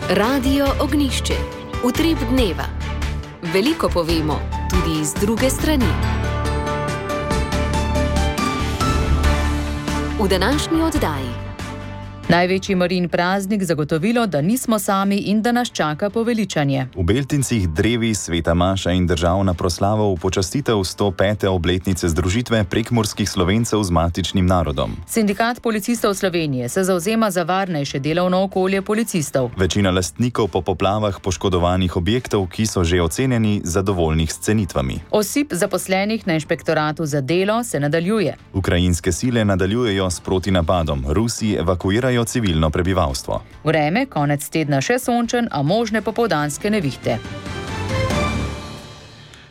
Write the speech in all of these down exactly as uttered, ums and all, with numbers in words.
Radio Ognišče, utrip dneva. Veliko povemo, tudi iz druge strani. V današnji oddaji. Največji Marijin praznik zagotovilo, da nismo sami in da nas čaka poveličanje. V Beltincih drevi sveta maša in državna proslava v počastitev sto pete obletnice združitve prekmurskih Slovencev z matičnim narodom. Sindikat policistov Slovenije se zavzema za varnejše delovno okolje policistov. Večina lastnikov po poplavah poškodovanih objektov, ki so že ocenjeni, zadovoljnih s cenitvami. Osip zaposlenih na inšpektoratu za delo se nadaljuje. Ukrajinske sile nadaljujejo s protinapadom. Rusi evakuirajo civilno prebivalstvo. Vreme, konec tedna še sončen, a možne popoldanske nevihte.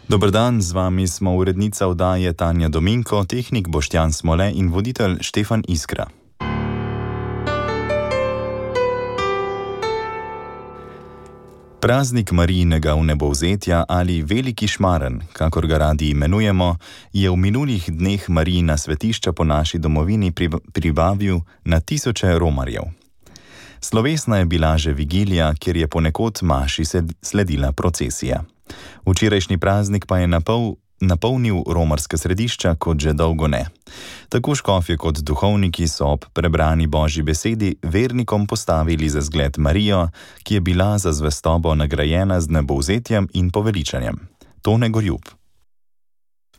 Dober dan, z vami smo urednica oddaje Tanja Dominko, tehnik Boštjan Smole in voditelj Štefan Iskra. Praznik Marijinega vnebovzetja ali Veliki šmaren, kakor ga radi imenujemo, je v minulih dneh Marijina svetišča po naši domovini privabil na tisoče romarjev. Slovesna je bila že vigilija, kjer je ponekod maši sledila procesija. Včerajšnji praznik pa je napol, napolnil romarska središča kot že dolgo ne. Tako škofje kot duhovniki so ob prebrani Božji besedi vernikom postavili za zgled Marijo, ki je bila za zvestobo nagrajena z vnebovzetjem in poveličanjem. Tone Gorjub.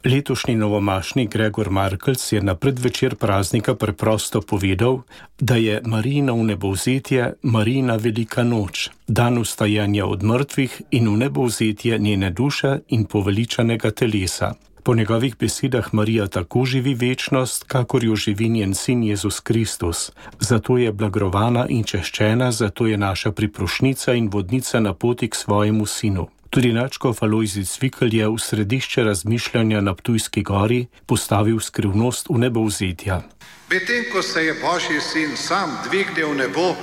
Letošnji novomašnik Gregor Markelc je na predvečer praznika preprosto povedal, da je Marijino vnebovzetje Marijina velika noč, dan vstajanja od mrtvih in vnebovzetje njene duše in poveličanega telesa. Po njegovih besedah Marija tako živi večnost, kakor jo živi njen sin Jezus Kristus. Zato je blagrovana in češčena, zato je naša priprošnica in vodnica na poti k svojemu sinu. Tudi nadškof Alojzij Cvikl je v središče razmišljanja na Ptujski gori postavil skrivnost vnebovzetja. Medtem ko se je Božji sin sam dvignil v nebo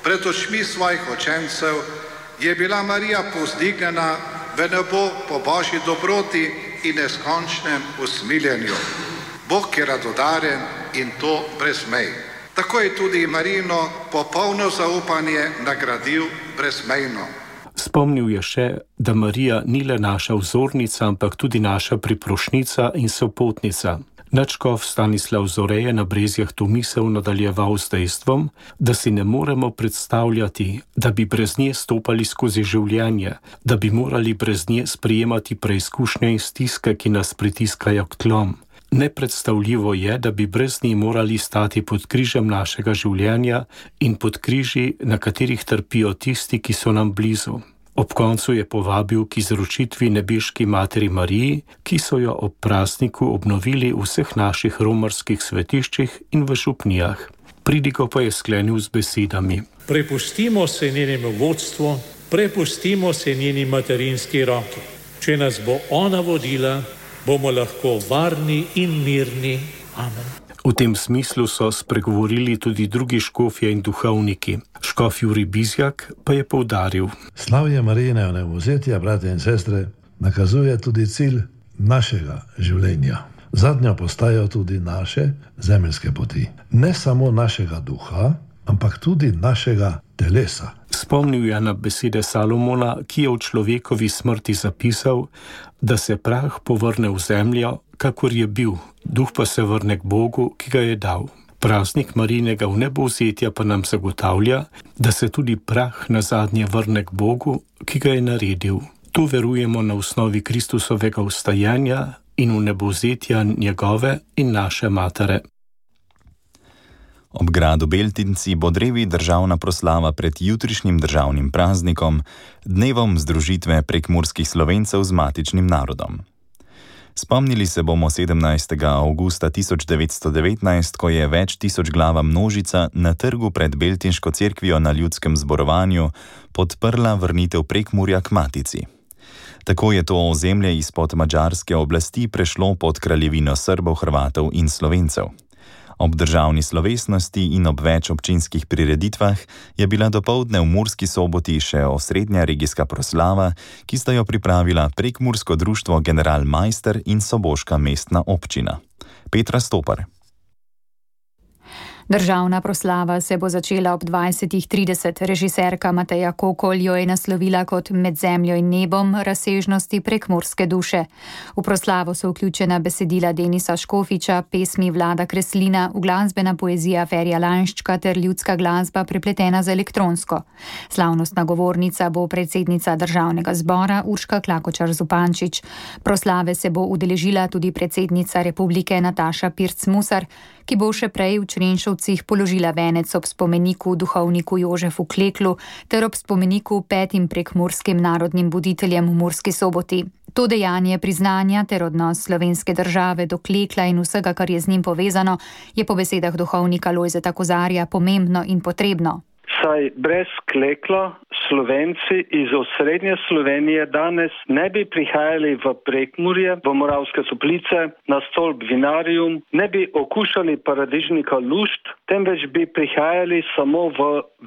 pred očmi svojih učencev, je bila Marija povzdignjena v nebo po Božji dobroti in neskončnem usmiljenju. Bog je radodaren in to brez mej. Tako je tudi Marijino popolno zaupanje nagradil brezmejno. Spomnil je še, da Marija ni le naša vzornica, ampak tudi naša priprošnica in sopotnica. Nadškof Stanislav Zore je na Brezjah to misel nadaljeval z dejstvom, da si ne moremo predstavljati, da bi brez nje stopali skozi življenje, da bi morali brez nje sprejemati preizkušnje in stiske, ki nas pritiskajo k tlom. Nepredstavljivo je, da bi brez nje morali stati pod križem našega življenja in pod križi, na katerih trpijo tisti, ki so nam blizu. Ob koncu je povabil k izročitvi nebeški materi Mariji, ki so jo ob prazniku obnovili v vseh naših romarskih svetiščih in v župnijah. Pridigo pa je sklenil z besedami. Prepustimo se njenemu vodstvu, prepustimo se njeni materinski roki. Če nas bo ona vodila, bomo lahko varni in mirni. Amen. V tem smislu so spregovorili tudi drugi škofje in duhovniki. Škof Jurij Bizjak pa je poudaril. Slavje Marijine vnebovzetja, brate in sestre, nakazuje tudi cilj našega življenja. Zadnjo postajo tudi naše zemeljske poti. Ne samo našega duha, ampak tudi našega telesa. Spomnil je na besede Salomona, ki je v človekovi smrti zapisal, da se prah povrne v zemljo, kakor je bil, duh pa se vrne k Bogu, ki ga je dal. Praznik Marijinega vnebovzetja pa nam zagotavlja, da se tudi prah nazadnje vrne k Bogu, ki ga je naredil. Tu verujemo na osnovi Kristusovega vstajanja in vnebovzetja njegove in naše matere. Ob gradu Beltinci bo drevi državna proslava pred jutrišnjim državnim praznikom, dnevom združitve prekmurskih Slovencev z matičnim narodom. Spomnili se bomo sedemnajstega avgusta tisoč devetsto devetnajst, ko je več tisoč glava množica na trgu pred Beltinško cerkvijo na ljudskem zborovanju podprla vrnitev Prekmurja k matici. Tako je to ozemlje izpod madžarske oblasti prešlo pod kraljevino Srbov, Hrvatov in Slovencev. Ob državni slovesnosti in ob več občinskih prireditvah je bila dopoldne v Murski Soboti še osrednja regijska proslava, ki sta jo pripravila Prekmursko društvo General Majster in Soboška mestna občina. Petra Stopar. Državna proslava se bo začela ob dvajsetih trideset. Režiserka Mateja Kokol jo je naslovila kot Med zemljo in nebom razsežnosti prekmurske duše. V proslavo so vključena besedila Denisa Škofiča, pesmi Vlada Kreslina, uglasbena poezija Ferija Lanščka ter ljudska glasba prepletena z elektronsko. Slavnostna govornica bo predsednica Državnega zbora Urška Klakočar Zupančič. Proslave se bo udeležila tudi predsednica Republike Nataša Pirc Musar, ki bo še prej v Črenšovcih položila venec ob spomeniku duhovniku Jožefu Kleklu ter ob spomeniku petim prekmurskim narodnim buditeljem v Murski Soboti. To dejanje priznanja ter odnos slovenske države do Klekla in vsega, kar je z njim povezano, je po besedah duhovnika Lojzeta Kozarja pomembno in potrebno. Saj brez Klekla Slovenci iz osrednje Slovenije danes ne bi prihajali v Prekmurje, v Moravske Toplice, na stolp Vinarium, ne bi okušali paradižnika Lušt, temveč bi prihajali samo v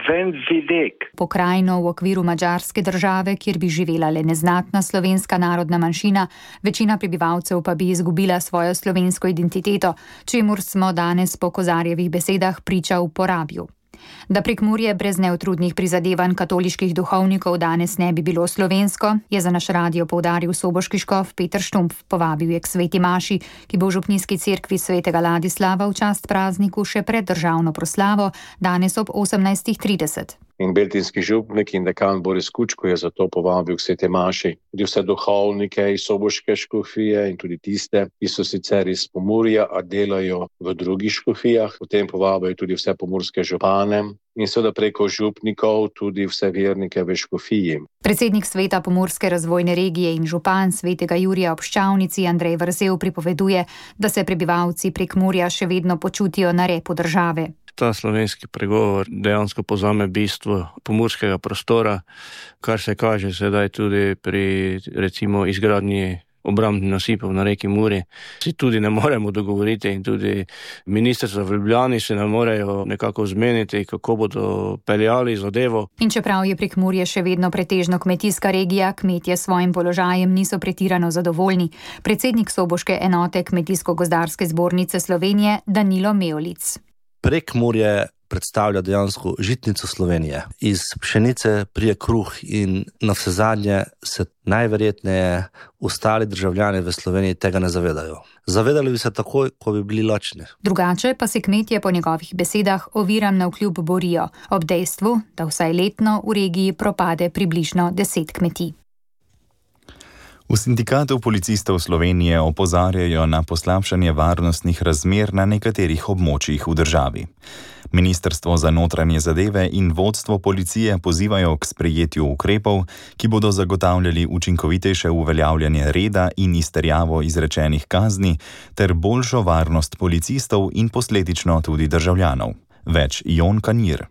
Vendvidek. Pokrajino v okviru madžarske države, kjer bi živela le neznatna slovenska narodna manjšina, večina prebivalcev pa bi izgubila svojo slovensko identiteto, čemur smo danes po Kozarjevih besedah priča v Porabju. Da Prekmurje brez neutrudnih prizadevanj katoliških duhovnikov danes ne bi bilo slovensko, je za naš radio poudaril soboški škof Peter Štumpf. Povabil je k sveti maši, ki bo v župnijski cerkvi svetega Ladislava v čast prazniku še pred državno proslavo, danes ob osemnajstih trideset. In beltinski župnik in dekan Boris Kučko je zato povabil k sveti maši tudi vse duhovnike iz soboške škofije in tudi tiste, ki so sicer iz Pomurja, a delajo v drugih škofijah. Potem povabijo tudi vse pomurske župane in seveda preko župnikov tudi vse vernike v škofiji. Predsednik sveta Pomurske razvojne regije in župan svetega Jurija ob Ščavnici Andrej Vrzel pripoveduje, da se prebivalci Prekmurja še vedno počutijo na repu države. Ta slovenski pregovor dejansko pozame bistvo pomurskega prostora, kar se kaže sedaj tudi pri recimo izgradnji obrambnih nasipov na reki Muri. Si tudi ne moremo dogovoriti in tudi ministrstva v Ljubljani se ne morejo nekako zmeniti, kako bodo peljali zadevo. In čeprav je Prekmurje še vedno pretežno kmetijska regija, kmetje s svojim položajem niso pretirano zadovoljni. Predsednik soboške enote Kmetijsko-gozdarske zbornice Slovenije Danilo Mevlic. Prekmurje predstavlja dejansko žitnico Slovenije. Iz pšenice prije kruh in navsezadnje se najverjetneje ostali državljani v Sloveniji tega ne zavedajo. Zavedali bi se takoj, ko bi bili lačni. Drugače pa se kmetje po njegovih besedah oviram navkljub borijo, ob dejstvu, da vsaj letno v regiji propade približno deset kmetij. V Sindikatu policistov Slovenije opozarjajo na poslabšanje varnostnih razmer na nekaterih območjih v državi. Ministrstvo za notranje zadeve in vodstvo policije pozivajo k sprejetju ukrepov, ki bodo zagotavljali učinkovitejše uveljavljanje reda in izterjavo izrečenih kazni ter boljšo varnost policistov in posledično tudi državljanov. Več Jon Kanjir.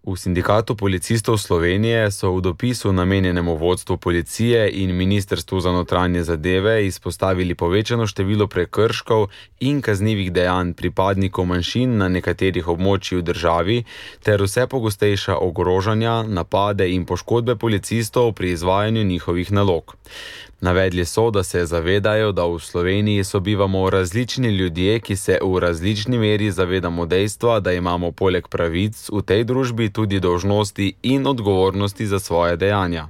V Sindikatu policistov Slovenije so v dopisu namenjenemu vodstvu policije in Ministrstvu za notranje zadeve izpostavili povečano število prekrškov in kaznivih dejanj pripadnikov manjšin na nekaterih območjih v državi ter vse pogostejša ogrožanja, napade in poškodbe policistov pri izvajanju njihovih nalog. Navedli so, da se zavedajo, da v Sloveniji sobivamo različni ljudje, ki se v različni meri zavedamo dejstva, da imamo poleg pravic v tej družbi tudi dolžnosti in odgovornosti za svoje dejanja.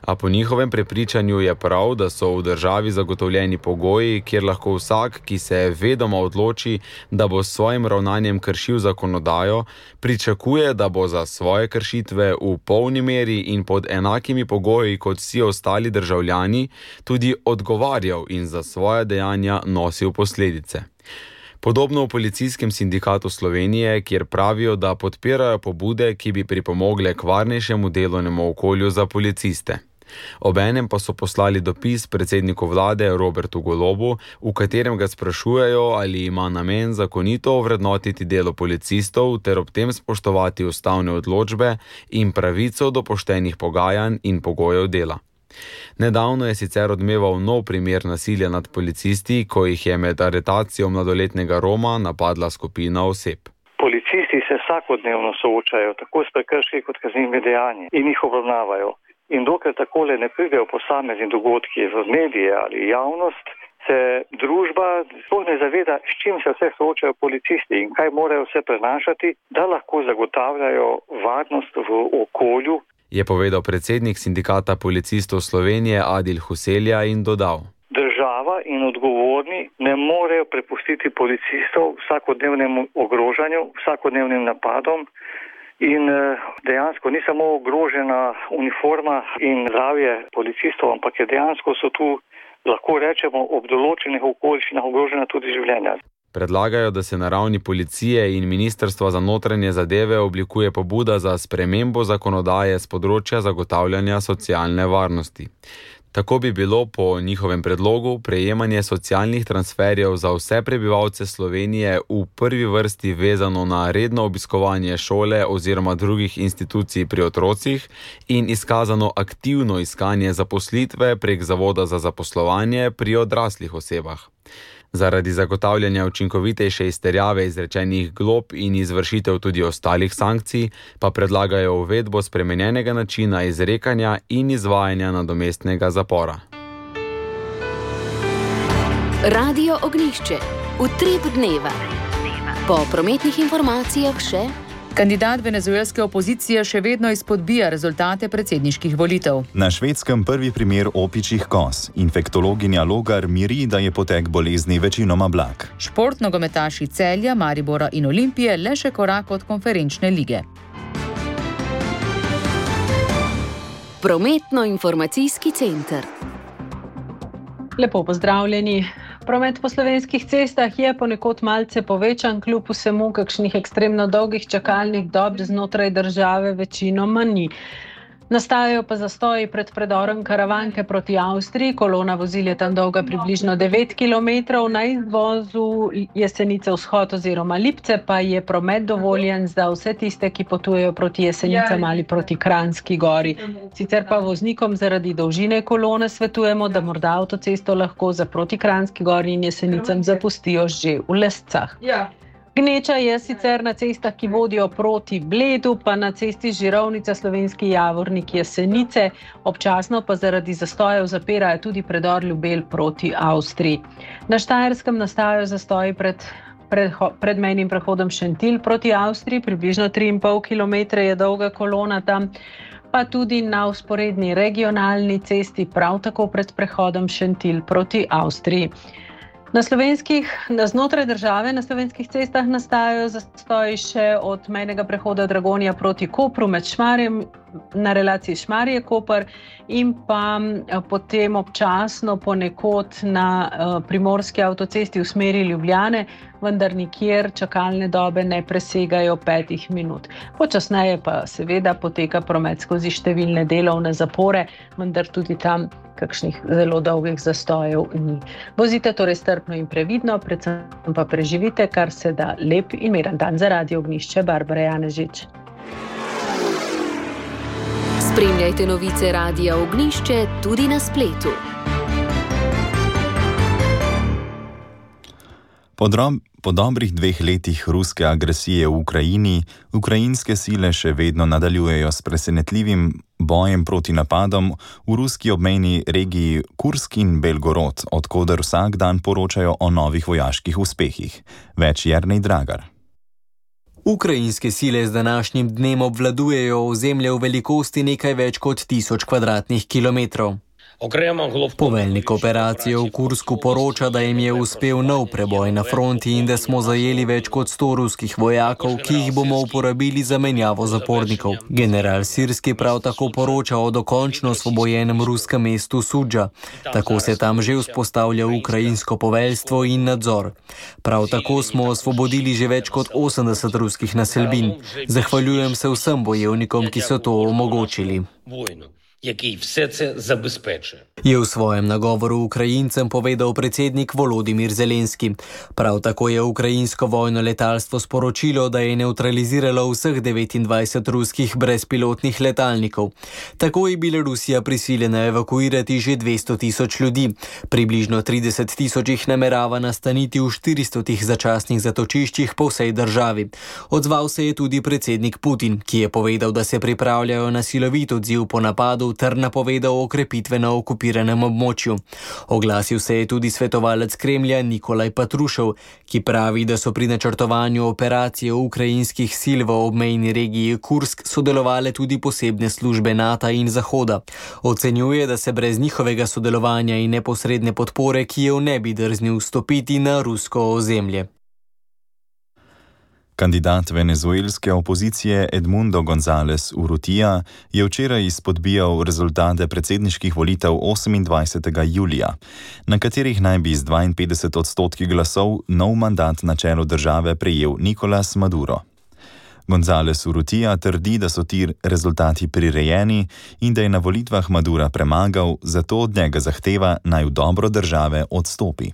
A po njihovem prepričanju je prav, da so v državi zagotovljeni pogoji, kjer lahko vsak, ki se vedoma odloči, da bo s svojim ravnanjem kršil zakonodajo, pričakuje, da bo za svoje kršitve v polni meri in pod enakimi pogoji kot vsi ostali državljani tudi odgovarjal in za svoje dejanja nosil posledice. Podobno v Policijskem sindikatu Slovenije, kjer pravijo, da podpirajo pobude, ki bi pripomogle k varnejšemu delovnemu okolju za policiste. Obenem pa so poslali dopis predsedniku vlade Robertu Golobu, v katerem ga sprašujejo, ali ima namen zakonito ovrednotiti delo policistov ter ob tem spoštovati ustavne odločbe in pravico do poštenih pogajanj in pogojev dela. Nedavno je sicer odmeval nov primer nasilja nad policisti, ko jih je med aretacijo mladoletnega Roma napadla skupina oseb. Policisti se vsakodnevno soočajo tako s prekrški kot kaznivimi dejanji in jih obravnavajo. In dokler takole ne pridejo posamezni dogodki v medije ali javnost, se se družba sploh ne zaveda, s čim se vse soočajo policisti in kaj morajo vse prenašati, da lahko zagotavljajo varnost v okolju. Je povedal predsednik Sindikata policistov Slovenije Adil Huselja in dodal: Država in odgovorni ne morejo prepustiti policistov vsakodnevnemu ogrožanju, vsakodnevnim napadom in dejansko ni samo ogrožena uniforma in zdravje policistov, ampak je dejansko so tu, lahko rečemo, ob določenih okoliščinah ogrožena tudi življenja. Predlagajo, da se na ravni policije in Ministrstva za notranje zadeve oblikuje pobuda za spremembo zakonodaje z področja zagotavljanja socialne varnosti. Tako bi bilo po njihovem predlogu prejemanje socialnih transferjev za vse prebivalce Slovenije v prvi vrsti vezano na redno obiskovanje šole oziroma drugih institucij pri otrocih in izkazano aktivno iskanje zaposlitve prek Zavoda za zaposlovanje pri odraslih osebah. Zaradi zagotavljanja učinkovitejše izterjave izrečenih glob in izvršitev tudi ostalih sankcij pa predlagajo uvedbo spremenjenega načina izrekanja in izvajanja nadomestnega zapora. Radio Ognjišče. Utrip dneva. Po prometnih informacijah še: kandidat venezuelske opozicije še vedno izpodbija rezultate predsedniških volitev. Na Švedskem prvi primer opičjih koz. Infektologinja Logar miri, da je potek bolezni večinoma blag. Šport nogometaši Celja, Maribora in Olimpije le še korak od konferenčne lige. Prometno-informacijski center. Lepo pozdravljeni. Promet po slovenskih cestah je ponekod malce povečan, kljub vsemu kakšnih ekstremno dolgih čakalnih dob znotraj države večinoma ni. Nastajajo pa zastoji pred predorom Karavanke proti Avstriji. Kolona vozil je tam dolga približno devet kilometrov, na izvozu Jesenice vzhod oziroma Lipce pa je promet dovoljen za vse tiste, ki potujejo proti Jesenicam ali proti Kranjski gori. Sicer pa voznikom zaradi dolžine kolone svetujemo, da morda avtocesto lahko za proti Kranjski gori in Jesenicam zapustijo že v Lescah. Gneča je sicer na cestah, ki vodijo proti Bledu, pa na cesti Žirovnica Slovenski Javornik Jesenice, občasno pa zaradi zastojev zapirajo tudi predor Ljubelj proti Avstriji. Na Štajerskem nastajajo zastoji pred, pred, pred mejnim prehodom Šentilj proti Avstriji, približno tri in pol kilometra je dolga kolona tam, pa tudi na vzporedni regionalni cesti prav tako pred prehodom Šentilj proti Avstriji. Na slovenskih, na znotraj države, na slovenskih cestah nastajajo zastoji še od mejnega prehoda Dragonja proti Kopru med Šmarjem na relaciji Šmarje-Koper in pa potem občasno ponekod na primorski avtocesti v smeri Ljubljane, vendar nikjer čakalne dobe ne presegajo petih minut. Počasneje pa seveda poteka promet skozi številne delovne zapore, vendar tudi tam kakšnih zelo dolgih zastojev ni. Vozite torej strpno in previdno, predvsem pa preživite kar se da lep in miren dan. Za Radio Ognjišče, Barbara Janežič. Spremljajte novice Radia Ognjišče tudi na spletu. Po, drob, po dobrih dveh letih ruske agresije v Ukrajini, ukrajinske sile še vedno nadaljujejo s presenetljivim bojem proti napadom v ruski obmejni regiji Kursk in Belgorod, odkoder vsak dan poročajo o novih vojaških uspehih. Več Jernej Dragar. Ukrajinske sile z današnjim dnem obvladujejo ozemlje v velikosti nekaj več kot tisoč kvadratnih kilometrov. Poveljnik operacije v Kursku poroča, da jim je uspel nov preboj na fronti in da smo zajeli več kot sto ruskih vojakov, ki jih bomo uporabili za menjavo zapornikov. General Sirski prav tako poroča o dokončno osvobojenem ruskem mestu Sudža. Tako se tam že vzpostavlja ukrajinsko poveljstvo in nadzor. Prav tako smo osvobodili že več kot osemdeset ruskih naselbin. Zahvaljujem se vsem bojevnikom, ki so to omogočili. Який все це забезпечує. Je v svojem nagovoru Ukrajincem povedal predsednik Volodimir Zelenski. Prav tako je ukrajinsko vojno letalstvo sporočilo, da je nevtraliziralo vseh devetindvajset ruskih brezpilotnih letalnikov. Tako je bila Rusija prisiljena evakuirati že dvesto tisoč ljudi. Približno trideset tisoč jih namerava nastaniti v štiristotih začasnih zatočiščih po vsej državi. Odzval se je tudi predsednik Putin, ki je povedal, da se pripravljajo na silovit odziv po napadu pogovorov ter napovedal okrepitve na okupiranem območju. Oglasil se je tudi svetovalec Kremlja Nikolaj Patrušev, ki pravi, da so pri načrtovanju operacije ukrajinskih sil v obmejni regiji Kursk sodelovale tudi posebne službe NATO in Zahoda. Ocenjuje, da se brez njihovega sodelovanja in neposredne podpore Kijev ne bi drznil vstopiti na rusko ozemlje. Kandidat venezuelske opozicije Edmundo González Urrutia je včeraj izpodbijal rezultate predsedniških volitev osemindvajsetega julija, na katerih naj bi z dvainpetdeset odstotki glasov nov mandat na čelu države prejel Nicolás Maduro. González Urrutia trdi, da so ti rezultati prirejeni in da je na volitvah Madura premagal, zato od njega zahteva, naj v dobro države odstopi.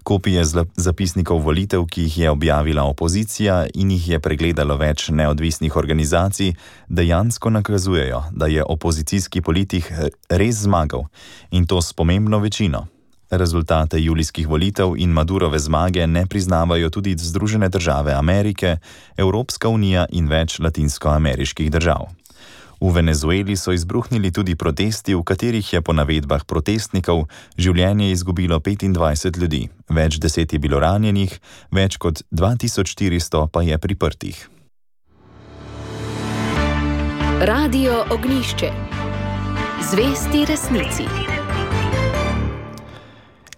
Kopije zapisnikov volitev, ki jih je objavila opozicija in jih je pregledalo več neodvisnih organizacij, dejansko nakazujejo, da je opozicijski politik res zmagal in to s pomembno večino. Rezultate julijskih volitev in Madurove zmage ne priznavajo tudi Združene države Amerike, Evropska unija in več latinskoameriških držav. V Venezueli so izbruhnili tudi protesti, v katerih je po navedbah protestnikov življenje izgubilo petindvajset ljudi, več deset je bilo ranjenih, več kot dva tisoč štiristo pa je priprtih. Radio Ognjišče. Zvesti resnici.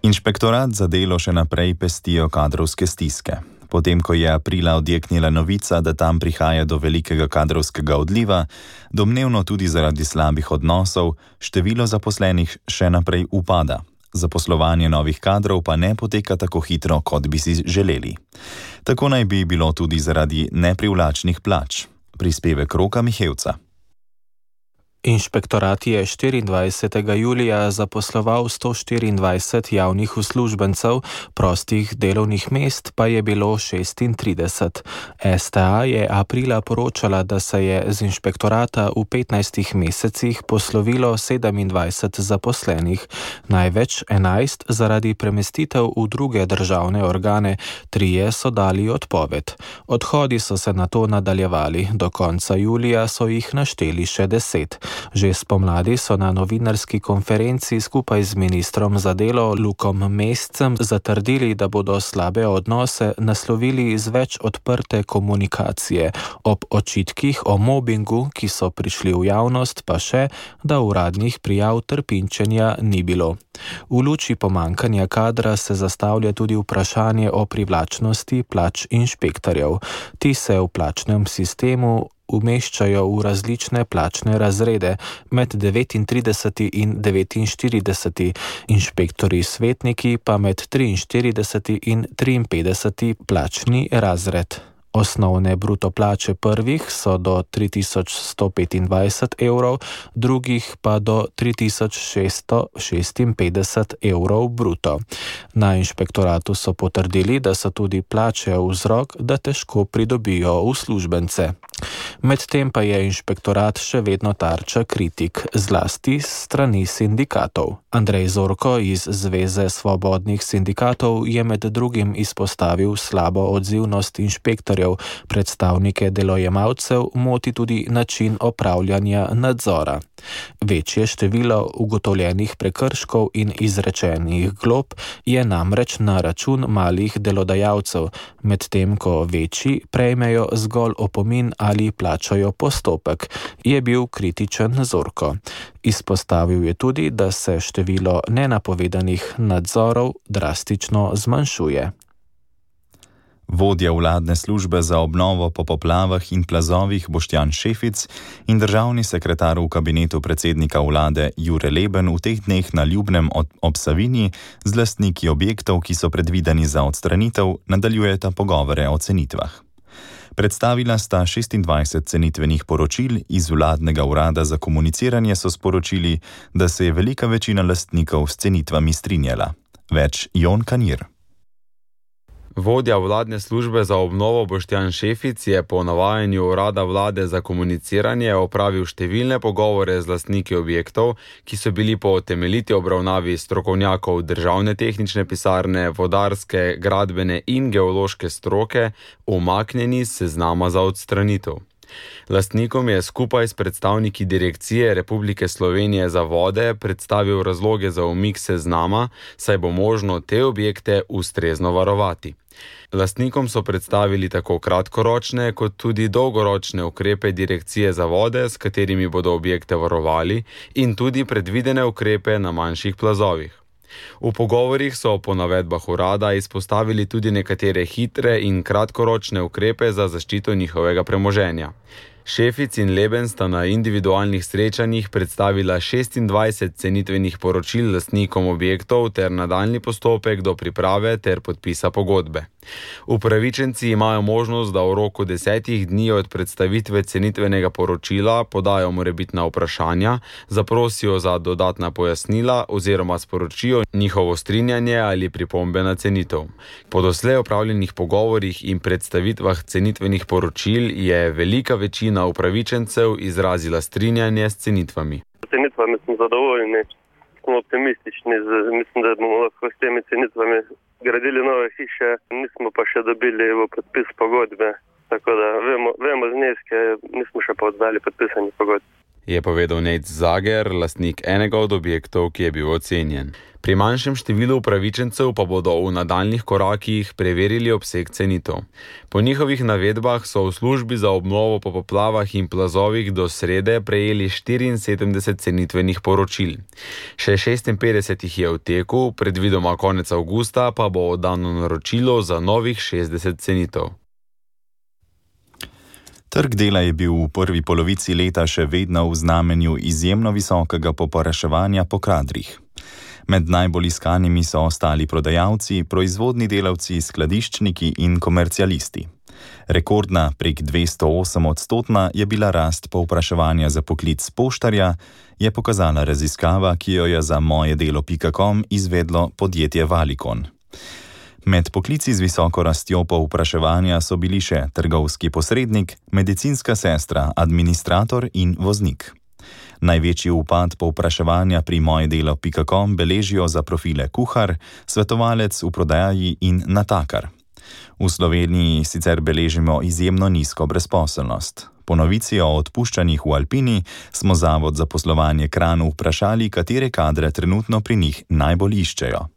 Inšpektorat za delo še naprej pestijo kadrovske stiske. Potem, ko je aprila odjeknila novica, da tam prihaja do velikega kadrovskega odliva, domnevno tudi zaradi slabih odnosov, število zaposlenih še naprej upada. Zaposlovanje novih kadrov pa ne poteka tako hitro, kot bi si želeli. Tako naj bi bilo tudi zaradi neprivlačnih plač. Prispevek Roka Mihevca. Inšpektorat je štiriindvajsetega julija zaposloval sto štiriindvajset javnih uslužbencev, prostih delovnih mest pa je bilo šestintrideset. S T A je aprila poročala, da se je z inšpektorata v petnajstih mesecih poslovilo sedemindvajset zaposlenih, največ enajst zaradi premestitev v druge državne organe, trije so dali odpoved. Odhodi so se nato nadaljevali, do konca julija so jih našteli še deset. Že spomladi so na novinarski konferenci skupaj z ministrom za delo Lukom Mescem zatrdili, da bodo slabe odnose naslovili z več odprte komunikacije. Ob očitkih o mobingu, ki so prišli v javnost, pa še, da uradnih prijav trpinčenja ni bilo. V luči pomankanja kadra se zastavlja tudi vprašanje o privlačnosti plač inšpektorjev. Ti se v plačnem sistemu umeščajo v različne plačne razrede, med devetintrideseti in devetinštirideseti, inšpektorji svetniki pa med triinštirideseti in triinpetdeseti plačni razred. Osnovne bruto plače prvih so do tri tisoč sto petindvajset evrov, drugih pa do tri tisoč šeststo šestinpetdeset evrov bruto. Na inšpektoratu so potrdili, da so tudi plače vzrok, da težko pridobijo uslužbence. Medtem pa je inšpektorat še vedno tarča kritik, zlasti s strani sindikatov. Andrej Zorko iz Zveze svobodnih sindikatov je med drugim izpostavil slabo odzivnost inšpektorjev. Predstavnike delojemalcev moti tudi način opravljanja nadzora. Večje število ugotovljenih prekrškov in izrečenih glob je namreč na račun malih delodajalcev, medtem ko večji prejmejo zgolj opomin ali plačajo postopek, je bil kritičen Zorko. Izpostavil je tudi, da se število nenapovedanih nadzorov drastično zmanjšuje. Vodja vladne službe za obnovo po poplavah in plazovih Boštjan Šefic in državni sekretar v kabinetu predsednika vlade Jure Leben v teh dneh na Ljubnem ob Savinji z lastniki objektov, ki so predvideni za odstranitev, nadaljujeta pogovore o cenitvah. Predstavila sta šestindvajset cenitvenih poročil, iz vladnega urada za komuniciranje so sporočili, da se je velika večina lastnikov s cenitvami strinjala. Več Jon Kanir. Vodja vladne službe za obnovo Boštjan Šefic je po navajanju urada vlade za komuniciranje opravil številne pogovore z lastniki objektov, ki so bili po temeljiti obravnavi strokovnjakov državne tehnične pisarne, vodarske, gradbene in geološke stroke umaknjeni s seznama za odstranitev. Lastnikom je skupaj s predstavniki Direkcije Republike Slovenije za vode predstavil razloge za umik seznama, saj bo možno te objekte ustrezno varovati. Lastnikom so predstavili tako kratkoročne kot tudi dolgoročne ukrepe Direkcije za vode, s katerimi bodo objekte varovali, in tudi predvidene ukrepe na manjših plazovih. V pogovorih so po navedbah urada izpostavili tudi nekatere hitre in kratkoročne ukrepe za zaščito njihovega premoženja. Šefic in Leben sta na individualnih srečanjih predstavila šestindvajset cenitvenih poročil lastnikom objektov ter nadaljnji postopek do priprave ter podpisa pogodbe. Upravičenci imajo možnost, da v roku desetih dni od predstavitve cenitvenega poročila podajo morebitna vprašanja, zaprosijo za dodatna pojasnila oziroma sporočijo njihovo strinjanje ali pripombe na cenitev. Po doslej opravljenih pogovorih in predstavitvah cenitvenih poročil je velika večina upravičencev izrazila strinjanje s cenitvami. S cenitvami smo zadovoljni, smo optimistični, mislim, da bomo lahko s temi cenitvami gradili nove hiše, nismo pa še dobili v podpis pogodbe, tako da vemo, vemo zneske, nismo še pa oddali podpisani pogodbe. Je povedal Nejc Zager, lastnik enega od objektov, ki je bil ocenjen. Pri manjšem številu upravičencev pa bodo v nadaljnih korakih preverili obseg cenitev. Po njihovih navedbah so v službi za obnovo po poplavah in plazovih do srede prejeli štiriinsedemdeset cenitvenih poročil. Še šestinpetdeset jih je v teku, predvidoma konec avgusta pa bo oddano naročilo za novih šestdeset cenitev. Trg dela je bil v prvi polovici leta še vedno v znamenju izjemno visokega povpraševanja po kadrih. Med najbolj iskanimi so ostali prodajalci, proizvodni delavci, skladiščniki in komercialisti. Rekordna prek dvesto osem odstotna je bila rast povpraševanja za poklic poštarja, je pokazala raziskava, ki jo je za mojedelo pika com izvedlo podjetje Valikon. Med poklici z visoko rastjo povpraševanja so bili še trgovski posrednik, medicinska sestra, administrator in voznik. Največji upad povpraševanja pri mojedelo pika com beležijo za profile kuhar, svetovalec v prodaji in natakar. V Sloveniji sicer beležimo izjemno nizko brezposelnost. Po novici o odpuščanjih v Alpini smo Zavod za poslovanje Kranj vprašali, katere kadre trenutno pri njih najbolj iščejo.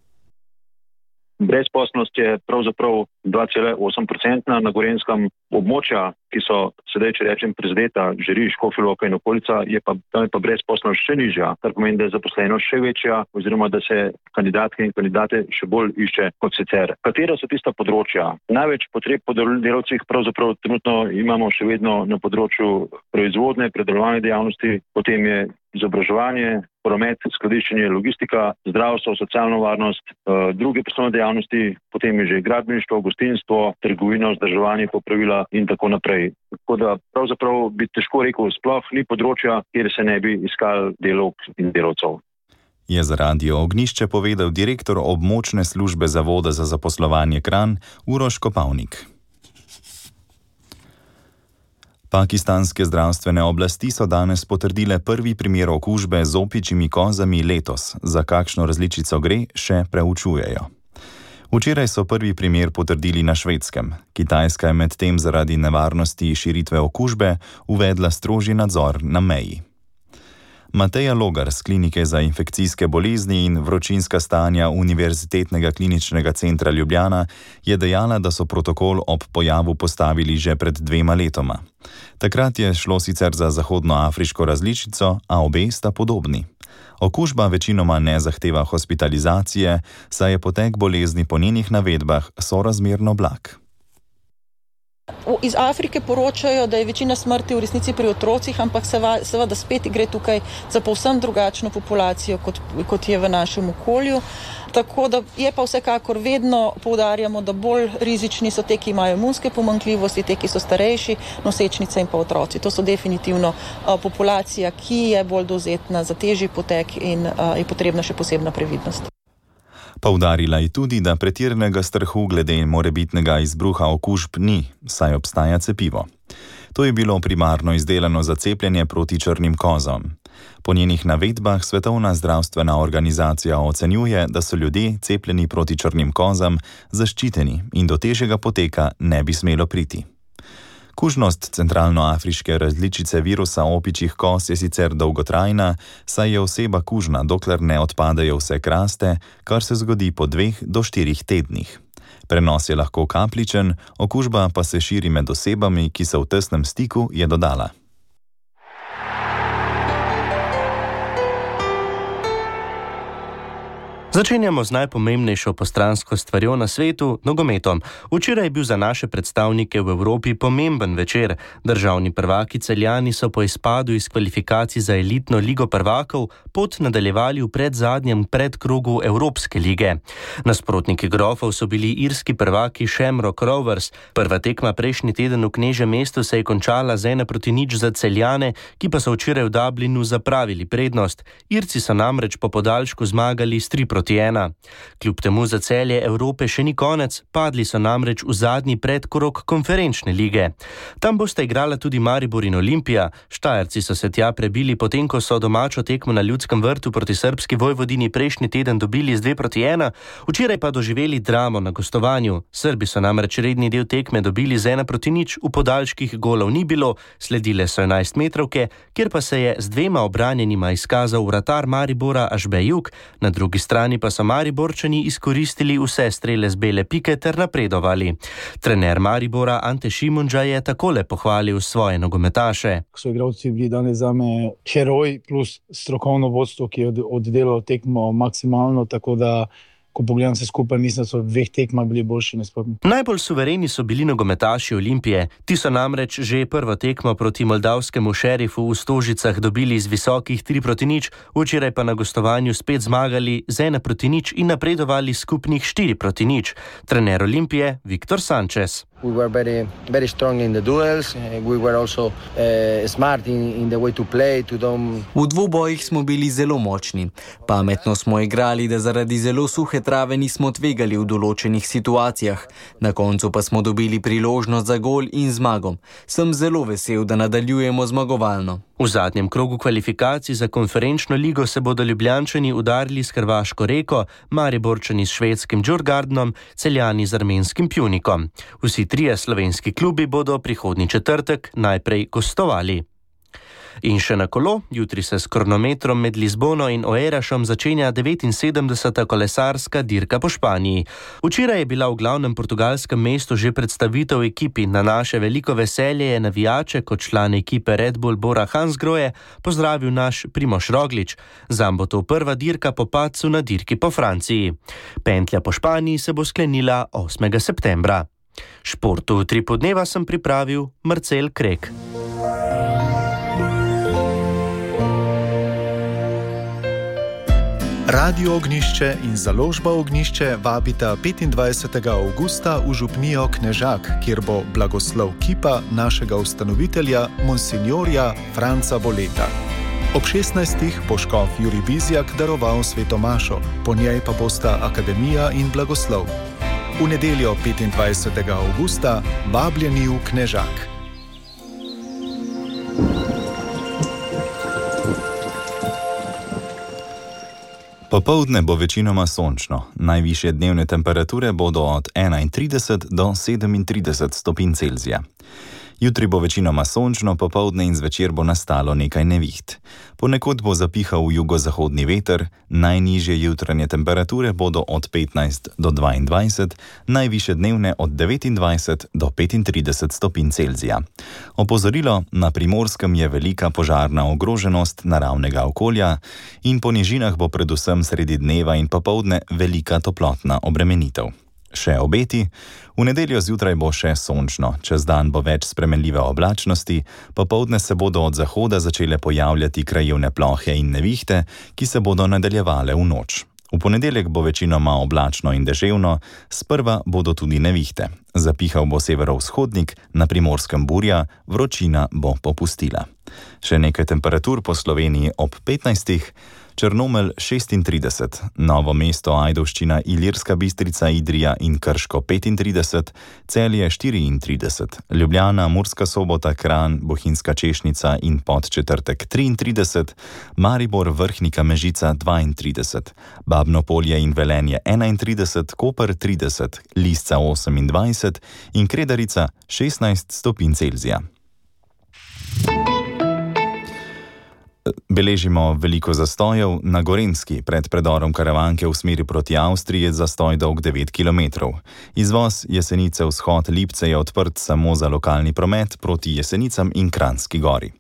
Brezposelnost je pravzaprav dva cela osem procentna na Gorenjskem. Območja, ki so sedaj, če rečem, prizadeta, Žiriš, Škofja Loka in okolica, je pa, tam je pa brezposelnost še nižja, kar pomeni, da je zaposlenost še večja oziroma da se kandidatke in kandidate še bolj išče kot sicer. Katera so tista področja? Največ potreb po delavcih pravzaprav trenutno imamo še vedno na področju proizvodne, predelovalne dejavnosti, potem je izobraževanje, promet, skladiščenje, logistika, zdravstvo, socialno varnost, druge poslovne dejavnosti, potem je že gradbeništvo, gostinstvo, trgovina, vzdrževanje, popravila in tako naprej. Tako da pravzaprav bi težko rekel, sploh ni področja, kjer se ne bi iskali delavk in delavcev. Je za Radio Ognjišče povedal direktor območne službe Zavoda za zaposlovanje Kranj Uroš Kopavnik. Pakistanske zdravstvene oblasti so danes potrdile prvi primer okužbe z opičjimi kozami letos. Za kakšno različico gre, še preučujejo. Včeraj so prvi primer potrdili na Švedskem. Kitajska je medtem zaradi nevarnosti širitve okužbe uvedla strožji nadzor na meji. Mateja Logar z Klinike za infekcijske bolezni in vročinska stanja Univerzitetnega kliničnega centra Ljubljana je dejala, da so protokol ob pojavu postavili že pred dvema letoma. Takrat je šlo sicer za zahodnoafriško različico, a obe sta podobni. Okužba večinoma ne zahteva hospitalizacije, saj je potek bolezni po njenih navedbah sorazmerno blag. Iz Afrike poročajo, da je večina smrti v resnici pri otrocih, ampak seveda spet gre tukaj za povsem drugačno populacijo, kot, kot je v našem okolju. Tako da je pa vsekakor vedno poudarjamo, da bolj rizični so te, ki imajo imunske pomanjkljivosti, te, ki so starejši, nosečnice in pa otroci. To so definitivno a, populacija, ki je bolj dovzetna za težji potek in a, je potrebna še posebna previdnost. Poudarila je tudi, da pretiranega strahu glede morebitnega izbruha okužb ni, saj obstaja cepivo. To je bilo primarno izdelano za cepljenje proti črnim kozam. Po njenih navedbah Svetovna zdravstvena organizacija ocenjuje, da so ljudje cepljeni proti črnim kozam zaščiteni in do težjega poteka ne bi smelo priti. Kužnost centralnoafriške različice virusa opičjih kos je sicer dolgotrajna, saj je oseba kužna, dokler ne odpadajo vse kraste, kar se zgodi po dveh do štirih tednih. Prenos je lahko kapljičen, okužba pa se širi med osebami, ki so v tesnem stiku, je dodala. Začenjamo z najpomembnejšo postransko stvarjo na svetu, nogometom. Včeraj je bil za naše predstavnike v Evropi pomemben večer. Državni prvaki Celjani so po izpadu iz kvalifikacij za elitno ligo prvakov pot nadaljevali v predzadnjem predkrogu Evropske lige. Nasprotniki grofov so bili irski prvaki Shamrock Rovers. Prva tekma prejšnji teden v Knežjem mestu se je končala z ena proti nič za Celjane, ki pa so včeraj v Dublinu zapravili prednost. Irci so namreč po podaljšku zmagali s tri proti ena. Kljub temu za Celje Evrope še ni konec, padli so namreč v zadnji predkrog konferenčne lige. Tam bosta igrala tudi Maribor in Olimpija. Štajerci so se tja prebili, potem ko so domačo tekmo na Ljudskem vrtu proti srbski Vojvodini prejšnji teden dobili z dve proti ena, včeraj pa doživeli dramo na gostovanju. Srbi so namreč redni del tekme dobili z ena proti nič, v podaljških golov ni bilo, sledile so enajstmetrovke, kjer pa se je z dvema obranjenima izkazal vratar Maribora Ažbejuk, na drugi strani pa so Mariborčani izkoristili vse strele z bele pike ter napredovali. Trener Maribora Ante Šimunža je takole pohvalil svoje nogometaše. So igralci bili danes zame heroj plus strokovno vodstvo, ki je oddelalo tekmo maksimalno, tako da ko pogledam se skupaj, mislim, da so v dveh tekmah bili boljši nasprotni. Najbolj suvereni so bili nogometaši Olimpije. Ti so namreč že prvo tekmo proti moldavskemu Šerifu v Stožicah dobili z visokih tri proti nič, včeraj pa na gostovanju spet zmagali z ena proti nič in napredovali skupnih štiri proti nič. Trener Olimpije Viktor Sanchez. We were very, very strong in the duels. We were also uh, smart in, in the way to play. To don't... V dvobojih smo bili zelo močni. Pametno smo igrali, da zaradi zelo suhe trave nismo tvegali v določenih situacijah. Na koncu pa smo dobili priložnost za gol in zmago. Sem zelo vesel, da nadaljujemo zmagovalno. V zadnjem krogu kvalifikacij za konferenčno ligo se bodo Ljubljančani udarili s hrvaško Reko, Mariborčani s švedskim Djurgardnom, Celjani z armenskim Pjunikom. Vsi trije slovenski klubi bodo prihodnji četrtek najprej gostovali. In še na kolo, jutri se s kronometrom med Lizbono in Oerašom začenja devetinsedemdeseta kolesarska dirka po Španiji. Včeraj je bila v glavnem portugalskem mestu že predstavitev ekipi. Na naše veliko veselje je navijače kot član ekipe Red Bull Bora Hansgrohe pozdravil naš Primož Roglič. Zam bo to prva dirka po padcu na dirki po Franciji. Pentlja po Španiji se bo sklenila osmega septembra. Športu v tri podneva sem pripravil Marcel Krek. Radio Ognišče in založba Ognišče vabita petindvajsetega avgusta v župnijo Knežak, kjer bo blagoslov kipa našega ustanovitelja, monsinjorja Franca Boleta. Ob šestnajstih bo škof Jurij Bizjak daroval sveto mašo, po njej pa bosta akademija in blagoslov. V nedeljo petindvajsetega avgusta vabljeni v Knežak. Popoldne bo večinoma sončno. Najvišje dnevne temperature bodo od enaintrideset do sedemintrideset stopinj Celzija. Jutri bo večinoma sončno, popoldne in zvečer bo nastalo nekaj neviht. Ponekod bo zapihal jugozahodni veter, najnižje jutranje temperature bodo od petnajst do dvaindvajset, najvišje dnevne od devetindvajset do petintrideset stopinj Celzija. Opozorilo, na Primorskem je velika požarna ogroženost naravnega okolja in po nižinah bo predvsem sredi dneva in popoldne velika toplotna obremenitev. Še obeti, v nedeljo zjutraj bo še sončno, čez dan bo več spremenljive oblačnosti, popoldne se bodo od zahoda začele pojavljati krajevne plohe in nevihte, ki se bodo nadaljevale v noč. V ponedeljek bo večinoma oblačno in deževno, sprva bodo tudi nevihte. Zapihal bo severovzhodnik, na Primorskem burja, vročina bo popustila. Še nekaj temperatur po Sloveniji ob petnajstih, Črnomelj šestintrideset, Novo mesto, Ajdovščina, Ilirska Bistrica, Idrija in Krško petintrideset, Celje štiriintrideset, Ljubljana, Murska Sobota, Kranj, Bohinjska Češnica in Podčetrtek triintrideset, Maribor, Vrhnika, Mežica dvaintrideset, Babno Polje in Velenje enaintrideset, Koper trideset, Lisca osemindvajset in Kredarica šestnajst stopinj Celzija. Beležimo veliko zastojev na Gorenjski. Pred predorom Karavanke v smeri proti Avstriji je zastoj dolg devet kilometrov. Izvoz Jesenice vzhod Lipce je odprt samo za lokalni promet proti Jesenicam in Kranjski gori.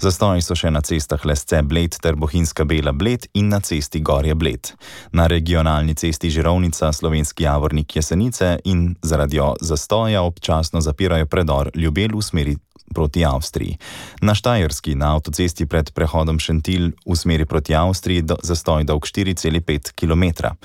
Zastoji so še na cestah Lesce Bled ter Bohinjska Bela Bled in na cesti Gorje Bled. Na regionalni cesti Žirovnica Slovenski Javornik Jesenice in zaradi zastoja občasno zapirajo predor Ljubelj v smeri proti Avstriji. Na Štajerski na avtocesti pred prehodom Šentilj v smeri proti Avstriji do, zastoj dolg štiri cela pet kilometra,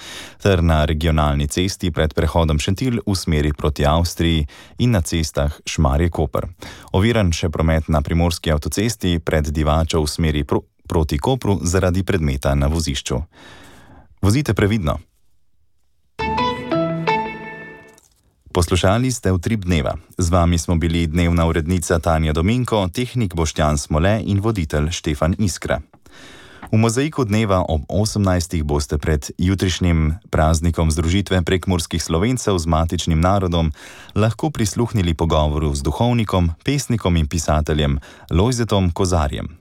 ter na regionalni cesti pred prehodom Šentilj v smeri proti Avstriji in na cestah Šmarje-Koper. Oviran še promet na primorski avtocesti pred Divačo v smeri pro, proti Kopru zaradi predmeta na vozišču. Vozite previdno. Poslušali ste Utrip dneva. Z vami smo bili dnevna urednica Tanja Dominko, tehnik Boštjan Smole in voditelj Štefan Iskra. V mozaiku dneva ob osemnajstih boste pred jutrišnjim praznikom združitve prekmurskih Slovencev z matičnim narodom lahko prisluhnili pogovoru z duhovnikom, pesnikom in pisateljem Lojzetom Kozarjem.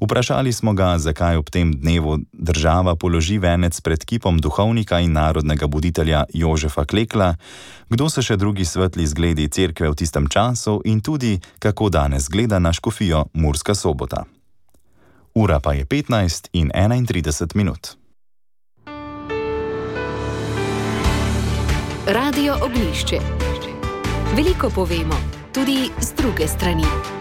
Vprašali smo ga, zakaj ob tem dnevu država položi venec pred kipom duhovnika in narodnega buditelja Jožefa Klekla, kdo so še drugi svetli zgledi cerkve v tistem času in tudi, kako danes gleda na škofijo Murska Sobota. Ura pa je petnajst in enaintrideset minut. Radio Oglišče. Veliko povemo, tudi z druge strani.